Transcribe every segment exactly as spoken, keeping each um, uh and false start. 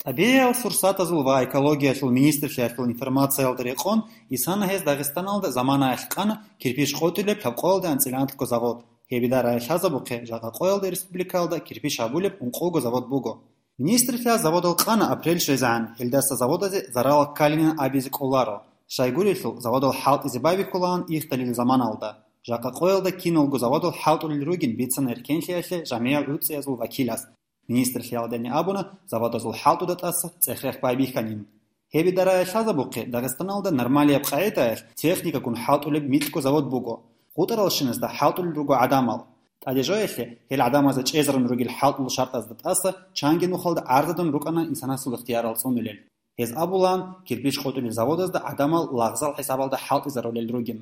ТӀабигӀиял сурсатазул ва экологиялъул министрлъиялъул информациялда рекъон, исана гьез Дагъистаналда заманаялъ къана кирпич къотӀулеб лъабкъоялда анцӀила анлъго завод. Гьеб идарае лъазабухъе, жакъа къоялда республикаялда кирпич гьабулеб ункъого завод буго. Министрлъиялъ заводал къана апрель щвезегӀан, гьелдаса заводазе зарал ккалинин абизе кӀоларо. Щайгурелъул, заводал хӀалтӀизе байбихьулаан ихдалил заманалда. Жакъа къоялда киналго заводал хӀалтӀулел ругин бицана эркенлъиялъе жамигӀал гӀуцӀиязул вакилас. Министрлъиялдани абуна, заводазул хӀалтӀуда тӀаса цӀех-рех байбихьанин. Гьеб идарае лъазабухъе, Дагъистаналда нормалияб къагӀидаялъ техникагун хӀалтӀулеб микьго завод буго. ГъутӀаралщиназда хӀалтӀулел руго гӀадамал. ТӀаде жоялъе, гьел гӀадамазда чӀезарун ругел хӀалтӀул шартӀазда тӀаса чанги нухалда гӀарзадун рукӀана инсанасул ихтиярал цӀунулел. Гьез абулаан, кирпич къотӀулел заводазда гӀадамал лагъзал хӀисабалда хӀалтӀизарулел ругин.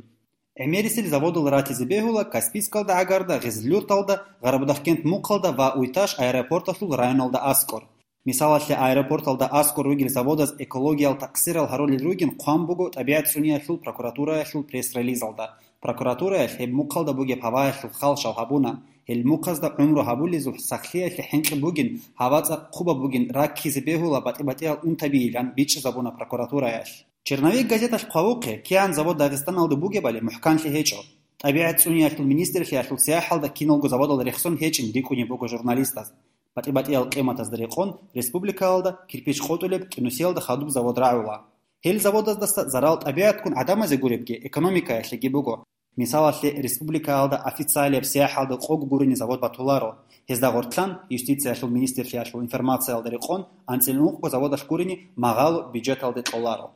ГӀемерисел заводал ратизе бегьула Каспийскалда гӀагарда, Гъизлюрталда, Гъарабудахкент мухъалда ва Уйташ аэропорталъул районалда аскӀор. Мисалалъе, аэропорталда аскӀор ругел заводаз экологиял такъсирал гьарулел ругин хъван буго ТӀабигӀат цӀуниялъул прокуратураялъул пресс-релизалда. Прокуратураялъ гьеб мухъалда бугеб гьаваялъул хал щал гьабуна. Гьел мухъазда гӀумру гьабулезул сахлъиялъе хӀинкъи бугин, гьава цӀакъ хъубаб бугин, раккизе бегьула батӀи-батӀиял унтабиилан бичӀчӀизабуна прокуратураялъ. «Черновик» газеталъ хъвавухъе, кигӀан завод Дагъистаналда бугебали мухӀканлъи гьечӀо. ТӀабигӀат цӀуниялъул министрлъиялъул сияхӀалда киналго заводал рехсон гьечӀин рикӀкӀунеб буго журналистаз. БатӀи-батӀиял къиматазда рекъон, республикаялда кирпич къотӀулеб КӀинусиялда хадуб завод рагӀула. Гьел заводаздаса зарал тӀабигӀатгун гӀадамазе гуребги, экономикаялъеги буго. Мисалалъе, республикаялда официалияб сияхӀалда къого гурони завод батуларо. Гьезда гъоркьан, юстициялъул министрлъиялъул информациялда рекъон, анцӀила ункъго заводалъ гурони магъало бюджеталде кьоларо.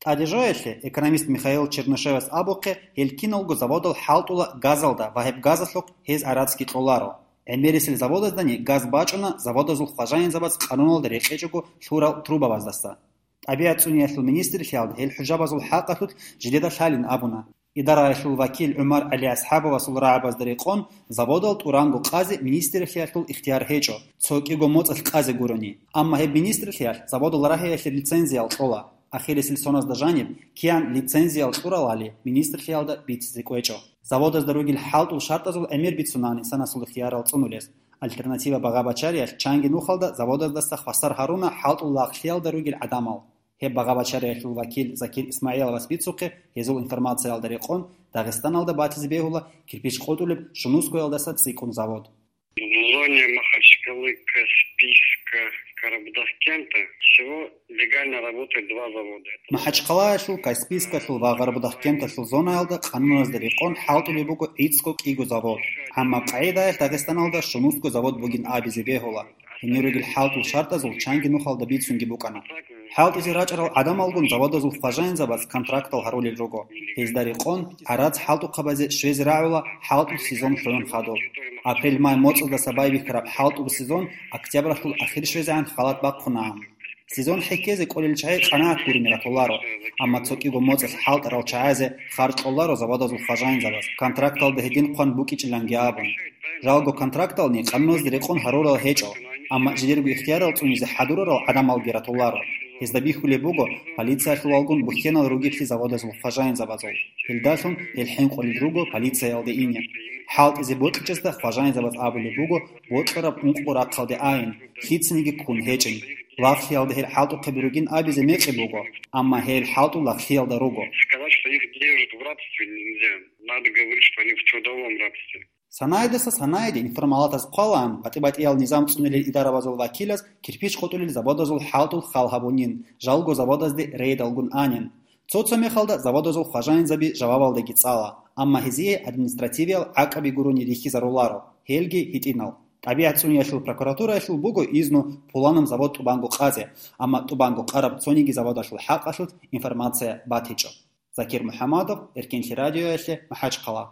ТӀаде жоялъе, экономист Михаил Чернышевас абухъе, гьел киналго заводал хӀалтӀула газалда ва гьеб газалъухъ гьез гӀарацги кьоларо. ГӀемерисел заводаздани газ бачӀуна заводазул хважаинзабаз къануналда рекъечӀого лъурал трубабаздаса. ТӀабигӀат цӀуниялъул министрлъиялда гьел хӀужабазул хӀакъалъулъ жидеда лъалин абуна. Идараялъул вакил ГӀумар ГӀалиасхӀабовасул рагӀабазда рекъон, заводал тӀуранго къазе министрлъиялъул ихтияр гьечӀо, цо кӀиго моцӀалъ къазе гурони. Амма гьеб министрлъиялъ заводал рагьиялъе лицензиял кьола. Ахирисел соназда жаниб, кигӀан лицензиял кьуралали, министрлъиялда бицизе кӀвечӀо. Заводазда ругел хӀалтӀул шартӀазул гӀемер бицунаан инсанасул ихтиярал цӀунулес. «Альтернатива» багъа-бачариялъ чанги нухалда заводаздаса хвасар гьаруна хӀалтӀул лагълъиялда ругел гӀадамал. Гьеб багъа-бачариялъул вакил Закир ИсмагӀиловас бицухъе, гьезул информациялда рекъон, Дагъистаналда батизе бегьула кирпич къотӀулеб Шунускоялдаса цӀикӀкӀун завод. В зоне Махачкалы, Каспийска, Карабудахкента всего легально работает два завода. МахӀачхъалаялъул, Каспийскалъул ва Гъарабудахкенталъул зонаялда къануназда рекъон хӀалтӀулеб буго гӀицӀго кӀиго завод. Амма къагӀидаялъ Дагъистаналда Шунусго завод бугин абизе бегьула. Гьенир ругел хӀалтӀул шартӀазул чанги нухалда бицунги букӀана. ХӀалтӀизе рачӀарал гӀадамалгун заводазул хважаинзабаз контрактал гьарулел руго. Гьезда рекъон, гӀарац хӀалтӀухъабазе щвезе рагӀула хӀалтӀул сезон лъугӀун хадуб. Апрель-май моцӀаздаса байбихьараб хӀалтӀул сезон октябралъул ахир щвезегӀан халат бахъунаан. Сезон хӀехьезе кӀолел чагӀи къанагӀат гурони ратуларо, амма цо кӀиго моцӀалъ хӀалтӀарал чагӀазе харж кьоларо заводазул хважаинзабаз, контракталда гьедин хъван букӀичӀиланги абун. Жалго контрактални къануназде рекъон гьарурал гьечӀо, амма жидерго ихтиярал цӀунизе хӀадурарал гӀадамалги ратуларо. Гьезда бихьулеб буго полициялъулалгун бухьенал ругеблъи заводазул хважаинзабазул. Гьелдалъун гьел хӀинкъулел руго полициялде ине. ХӀалтӀизе бокьичӀезда хважаинзабаз абулеб буго бокьараб ункъго рахъалде айин, лъицаниги ккун гьечӀин. Лагълъиялда гьел хӀалтӀухъе буругин абизе мекъи буго, амма гьел хӀалтӀул лагълъиялда руго. Сказать, что их держат в рабстве, нельзя. Надо говорить, что они в трудовом рабстве. Санайдаса санайде информалатаз хъвалаан, батӀи-батӀиял низам цӀунилел идарабазул вакилаз кирпич къотӀулел заводазул хӀалтӀул хал гьабунин, жалго заводазде рейдалгун анин. Цо-цо мехалда заводазул хважаинзаби жавабалдаги цӀала, амма гьезие административиял гӀакъаби гурони рихьизаруларо, гьелги гьитӀинал. ТӀабигӀат цӀуниялъул прокуратураялъул буго изну пуланаб завод тӀубанго къазе, амма тӀубанго къараб цониги заводалъул хӀакъалъулъ информация батичӀо. Закир МухӀамадов, Эркенлъи радиоялъе, МахӀачхъала.